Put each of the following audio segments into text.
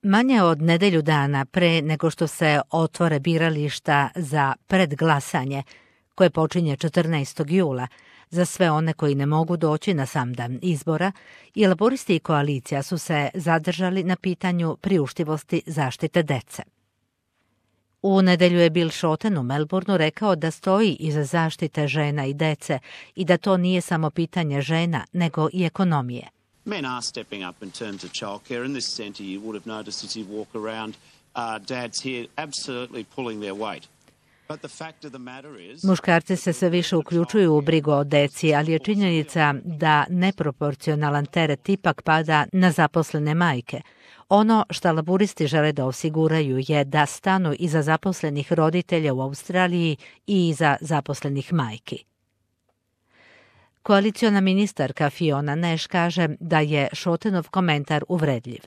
Manje od nedelju dana pre nego što se otvore birališta za predglasanje, koje počinje 14. jula, za sve one koji ne mogu doći na sam dan izbora, i laboristi i koalicija su se zadržali na pitanju priuštivosti zaštite dece. U nedelju je Bill Shorten u Melbourneu rekao da stoji iza zaštite žena i dece i da to nije samo pitanje žena, nego i ekonomije. Men are stepping up in terms of childcare. In this centre, you would have noticed as you walk around, dads here absolutely pulling their weight. But the fact of the matter is... Muškarci se sve više uključuju u brigu o deci, ali je činjenica da neproporcionalan teret ipak pada na zaposlene majke. Ono što laburisti žele da osiguraju je da stanu iza zaposlenih roditelja u Australiji i iza zaposlenih majki. Koaliciona ministarka Fiona Nash kaže da je Shortenov komentar uvredljiv.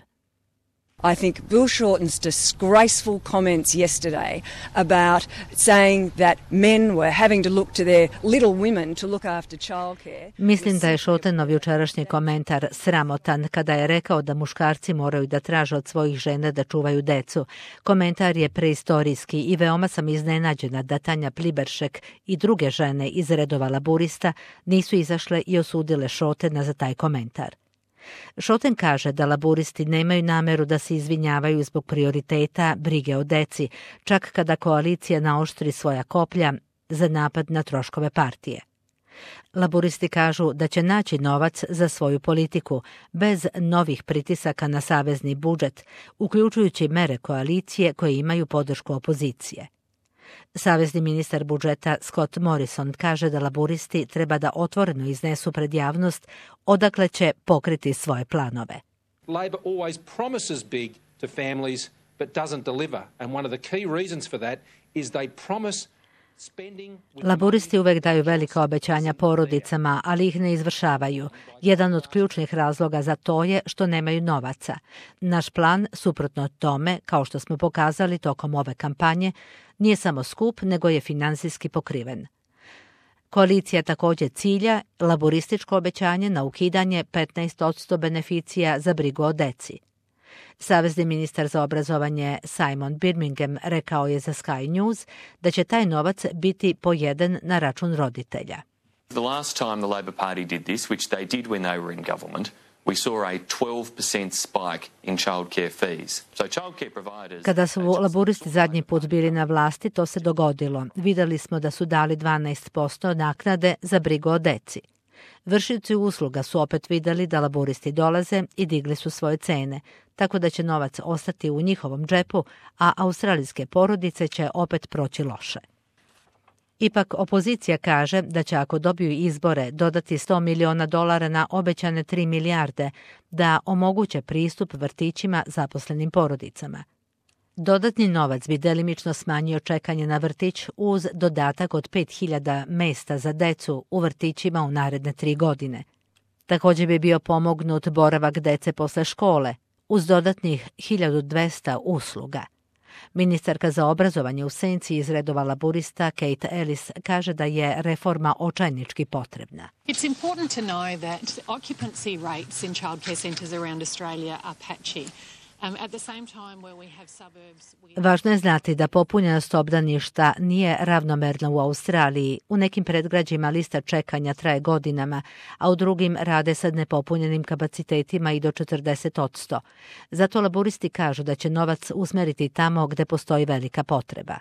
I think Bill Shorten's disgraceful comments yesterday about saying that men were having to look to their little women to look after childcare. Mislim da je Shortenov jučerašnji komentar sramotan kada je rekao da muškarci moraju da traže od svojih žena da čuvaju decu. Komentar je preistorijski i veoma sam iznenađena da Tanja Pliberšek i druge žene iz redova laburista nisu izašle i osudile Shortena za taj komentar. Shorten kaže da laburisti nemaju nameru da se izvinjavaju zbog prioriteta brige o deci, čak kada koalicija naoštri svoja koplja za napad na troškove partije. Laburisti kažu da će naći novac za svoju politiku bez novih pritisaka na savezni budžet, uključujući mere koalicije koje imaju podršku opozicije. Savezni ministar budžeta Scott Morrison kaže da laburisti treba da otvoreno iznesu pred javnost odakle će pokriti svoje planove. Labor always promises big to families but doesn't deliver, and one of the key reasons for that is they promise spending. Laburisti uvek daju velika obećanja porodicama, ali ih ne izvršavaju. Jedan od ključnih razloga za to je što nemaju novaca. Naš plan, suprotno tome, kao što smo pokazali tokom ove kampanje, nije samo skup, nego je finansijski pokriven. Koalicija također cilja laborističko obećanje na ukidanje 15% beneficija za brigu o deci. Savezni ministar za obrazovanje Simon Birmingham rekao je za Sky News da će taj novac biti pojeden na račun roditelja. The last time the Labor Party did this, which they did when they were in government, we saw a 12% spike in childcare fees. So childcare providers... Kada su laburisti zadnji put bili na vlasti, to se dogodilo. Videli smo da su dali 12% naknade za brigu o deci. Vršioci usluga su opet videli da laburisti dolaze i digli su svoje cene, tako da će novac ostati u njihovom džepu, a australijske porodice će opet proći loše. Ipak opozicija kaže da će ako dobiju izbore dodati $100 miliona na obećane 3 milijarde da omoguće pristup vrtićima zaposlenim porodicama. Dodatni novac bi delimično smanjio čekanje na vrtić uz dodatak od 5.000 mesta za decu u vrtićima u naredne 3 godine. Također bi bio pomognut boravak dece posle škole uz dodatnih 1.200 usluga. Ministarka za obrazovanje u senci iz redova laburista Kate Ellis kaže da je reforma očajnički potrebna. It's important to know that occupancy rates in childcare centres around Australia are patchy. Važno je znati da popunjenost obdaništa nije ravnomerna u Australiji. U nekim predgrađima lista čekanja traje godinama, a u drugim rade sa nepopunjenim kapacitetima i do 40%. Zato laburisti kažu da će novac usmeriti tamo gde postoji velika potreba.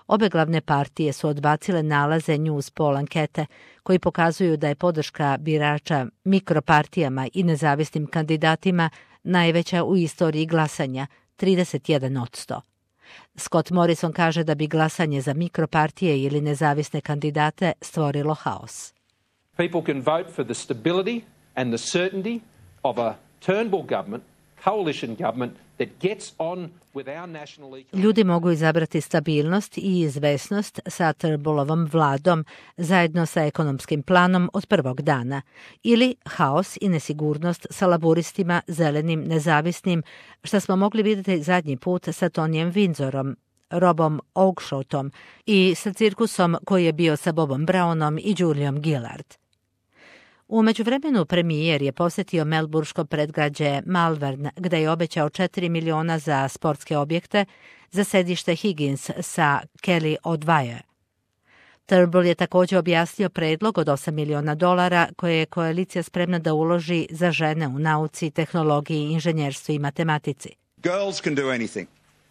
Obe glavne partije su odbacile nalaze News Poll ankete koji pokazuju da je podrška birača mikropartijama i nezavisnim kandidatima najveća u istoriji glasanja, 31%. Scott Morrison kaže da bi glasanje za mikropartije ili nezavisne kandidate stvorilo haos. People can vote for the stability and the certainty of a Turnbull government, coalition government that gets on with our national economy. Ljudi mogu izabrati stabilnost i izvesnost sa Turnbullovom vladom zajedno sa ekonomskim planom od prvog dana ili haos i nesigurnost sa laburistima, zelenim, nezavisnim, što smo mogli vidjeti zadnji put sa Tonyjem Windsorom, Robom Oakeshottom i sa cirkusom koji je bio sa Bobom Brownom i Juliom Gillard. U međuvremenu premijer je posjetio melburško predgrađe Malvern, gde je obećao 4 miliona za sportske objekte za sedište Higgins sa Kelly O'Dwyer. Turnbull je također objasnio predlog od $8 miliona koje je koalicija spremna da uloži za žene u nauci, tehnologiji, inženjerstvu i matematici. Girls can do anything,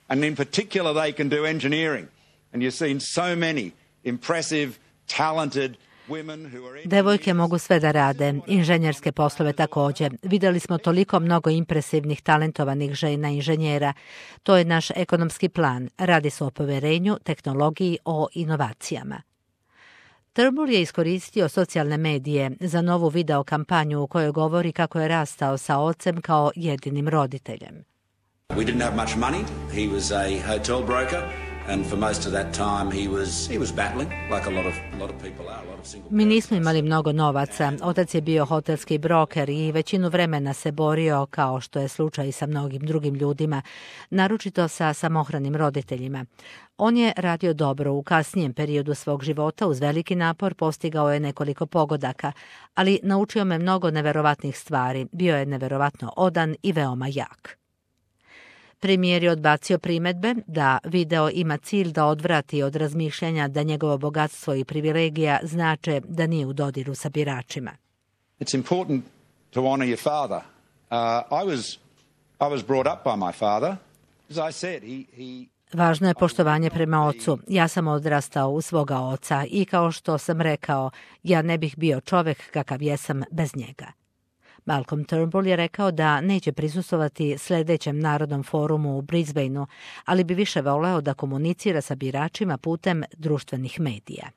and in particular they can do engineering. And you've seen so many impressive, talented women who are... Devojke mogu sve da rade, inženjerske poslove također. Vidjeli smo toliko mnogo impresivnih, talentovanih žena inženjera. To je naš ekonomski plan. Radi se o poverenju, tehnologiji, o inovacijama. Turnbull je iskoristio socijalne medije za novu video kampanju u kojoj govori kako je rastao sa ocem kao jedinim roditeljem. We didn't have much money. He was a hotel broker, and for most of that time he was battling like a lot of people are, a lot of single. Mi nismo imali mnogo novaca. Otac je bio hotelski broker i većinu vremena se borio, kao što je slučaj i sa mnogim drugim ljudima, naročito sa samohranim roditeljima. On je radio dobro. U kasnijem periodu svog života uz veliki napor postigao je nekoliko pogodaka, ali naučio me mnogo neverovatnih stvari. Bio je neverovatno odan i veoma jak. Premijer je odbacio primedbe da video ima cilj da odvrati od razmišljanja da njegovo bogatstvo i privilegija znače da nije u dodiru sa biračima. It's important to honor your father. I was brought up by my father. As I said, he Važno je poštovanje prema ocu. Ja sam odrastao u svoga oca i kao što sam rekao, ja ne bih bio čovjek kakav jesam bez njega. Malcolm Turnbull je rekao da neće prisustvovati sljedećem narodnom forumu u Brisbaneu, ali bi više voleo da komunicira sa biračima putem društvenih medija.